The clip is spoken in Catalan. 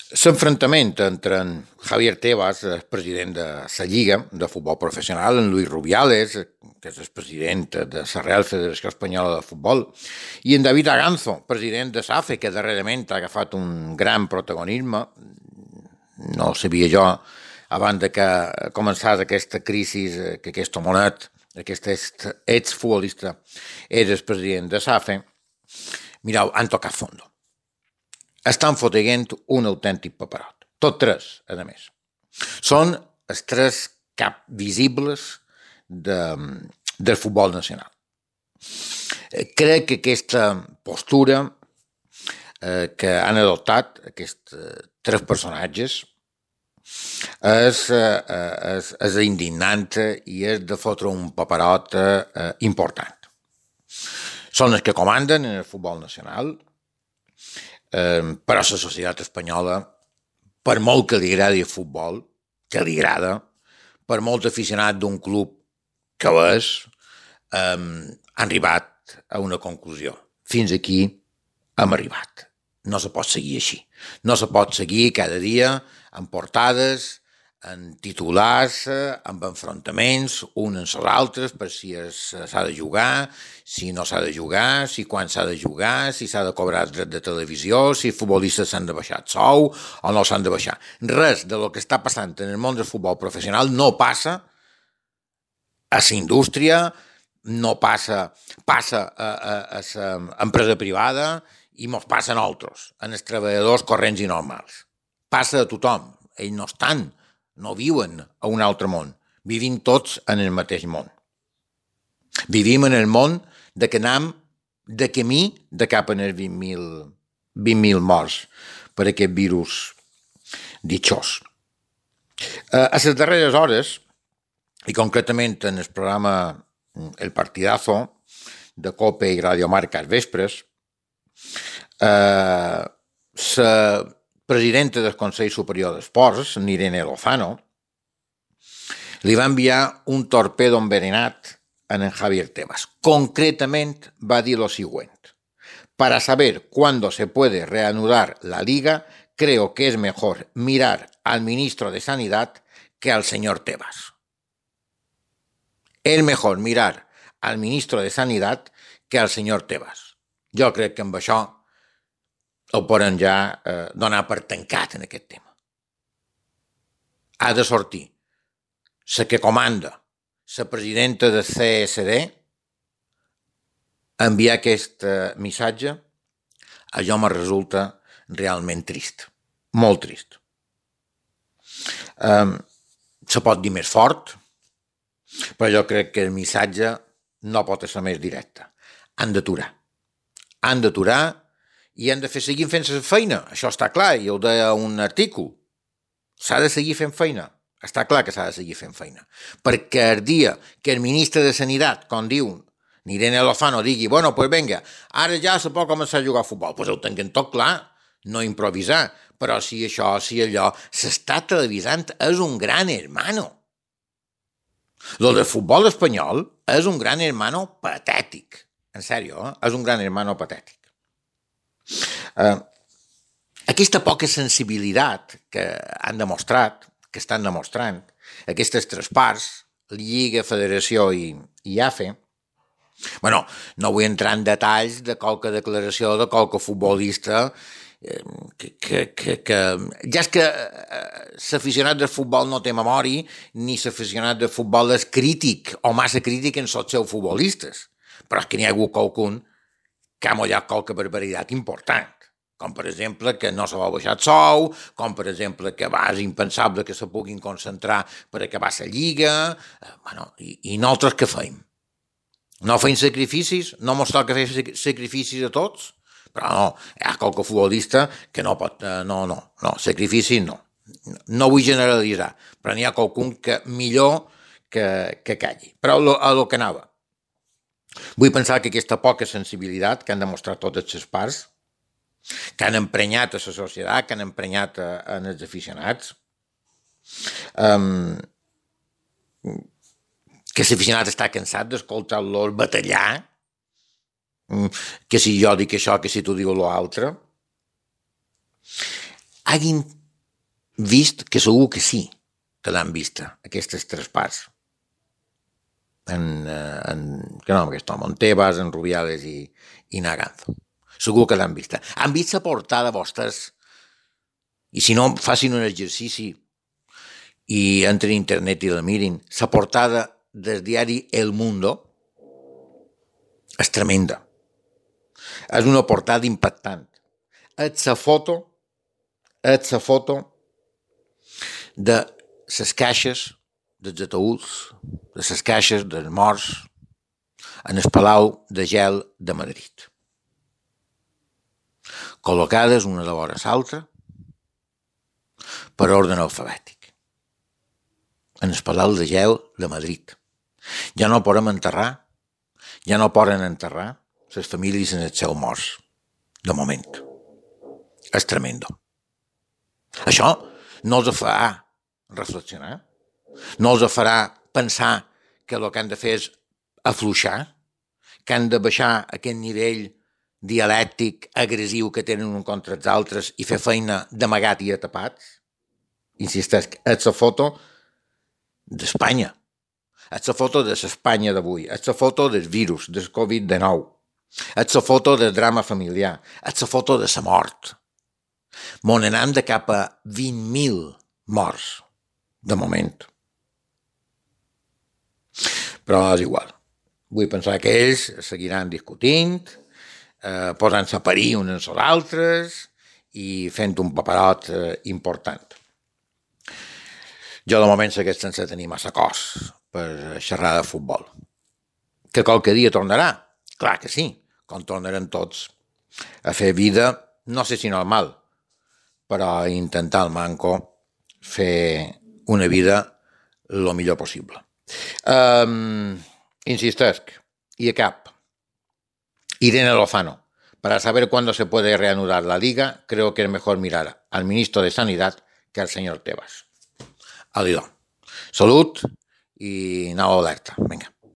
L'enfrontament entre en Javier Tebas, el president de la Lliga de Futbol Professional, en Luis Rubiales, que és el president de la Real Federació Espanyola de Futbol, i en David Aganzo, president de SAFE, que darrerament ha agafat un gran protagonisme. No sabia jo, abans de que començés aquesta crisi, que aquest homonet, aquest exfutbolista, era el president de SAFE. Mireu, han tocat fondo. Estan fotent un autèntic paperot. Tots tres, a més. Són els tres caps visibles del futbol nacional. Crec que aquesta postura que han adoptat aquests tres personatges és indignant i és de fotre un paperot important. Són els que comanden en el futbol nacional, però la societat espanyola, per molt que li agradi el futbol, que li agrada, per molt aficionat d'un club que ho és, han arribat a una conclusió. Fins aquí hem arribat. No se pot seguir així. No se pot seguir cada dia en portades, en titulars, amb enfrontaments, uns amb els altres, per si s'ha de jugar, si no s'ha de jugar, si quan s'ha de jugar, si s'ha de cobrar dret de televisió, si els futbolistes s'han de baixar el sou o no s'han de baixar. Res de lo que està passant en el món del futbol professional no passa a la indústria, no passa a l'empresa privada i mos passa a nosaltres, en els treballadors corrents i normals. Passa a tothom. Ells no estan, no viuen a un altre món. Vivim tots en el mateix món. Vivim en el món de que anem de camí de cap a els 20.000 morts per aquest virus ditxós. A les darreres hores, i concretament en el programa El Partidazo de COPE i Radio Marca als vespres, la presidenta del Consell Superior d'Esports, Irene Lozano, li va enviar un torpedo envenenat a en Javier Tebas. Concretamente va dir lo siguiente: para saber cuándo se puede reanudar la liga, creo que es mejor mirar al ministro de Sanidad que al señor Tebas. És mejor mirar al ministro de Sanidad que al señor Tebas. Jo crec que amb això ho poden ja donar per tancat en aquest tema. Ha de sortir la que comanda, la presidenta del CSD, enviar aquest missatge. Això me resulta realment trist, molt trist. Se pot dir més fort, però jo crec que el missatge no pot ser més directe. Han d'aturar. Han d'aturar i han de seguir fent la feina. Això està clar, i ho deia un artícul. S'ha de seguir fent feina. Està clar que s'ha de seguir fent feina. Perquè el dia que el ministre de Sanitat, com diu Irene Lozano, digui, bueno, pues venga, ara ja se pot començar a jugar a futbol, pues ho tinguin tot clar, no improvisar. Però si això, si allò, s'està televisant, és un gran hermano. Lo del futbol espanyol és un gran hermano patètic. En sèrio, és un gran hermano patètic. Aquesta poca sensibilitat que han demostrat, que estan demostrant, aquestes tres parts, Lliga, Federació i AFE, bueno, no vull entrar en detalls de qualque declaració de qualque futbolista que ja és que l'aficionat del futbol no té memòria, ni l'aficionat del futbol és crític o massa crític en els seus futbolistes, però és que n'hi ha hagut qualcun que ha mollat qualque barbaritat important, com per exemple que no se va baixar el sou, com per exemple que és impensable que se puguin concentrar per acabar la lliga, bueno, i nosaltres què feim? No feim sacrificis? No mos toca fer sacrificis a tots? Però no, hi ha qualque futbolista que no pot, no, sacrificis no. No vull generalitzar, però n'hi ha qualcun que millor que calli. Però a lo que anava. Vull pensar que aquesta poca sensibilitat que han demostrat totes les parts, que han emprenyat a la societat, que han emprenyat en els aficionats, que l'aficionat està cansat d'escoltar-los batallar, que si jo dic això, que si tu dius l'altre, hagin vist que segur que sí que l'han vista, aquestes tres parts. Que no, aquest home, en Tebas, en Rubiales i Naganzo. Segur que l'han vista. Han vist la portada vostres, i si no, facin un exercici i entren a internet i la mirin. La portada del diari El Mundo és tremenda. És una portada impactant. És la foto de les caixes dels ataúds, de les caixes dels morts en el Palau de Gel de Madrid, col·locades una de vora l'altra per ordre alfabètic, en el Palau de Gel de Madrid. Ja no poden enterrar les famílies en els seus morts, de moment. És tremendo. Això no els farà reflexionar, no els farà pensar que el que han de fer és afluixar, que han de baixar aquest nivell dialèctic, agressiu que tenen un contra els altres i fer feina d'amagat i atapats. Insisteix, és la foto d'Espanya, és la foto de l'Espanya d'avui, és la foto del virus, del Covid-19, és la foto del drama familiar, és la foto de la mort. Mon anem de cap a 20.000 morts, de moment. Però és igual. Vull pensar que ells seguiran discutint, posant-se a parir uns als altres i fent un paperot important. Jo de moment segueix sense tenir massa cos per xerrar de futbol. Que qualque dia tornarà? Clar que sí, com tornarem tots a fer vida, no sé si normal, però intentar al manco fer una vida lo millor possible. Insistesc, y acabo. Irene Lozano, para saber cuándo se puede reanudar la liga, creo que es mejor mirar al ministro de Sanidad que al señor Tebas. Adiós. Salut i nau alerta. Vinga.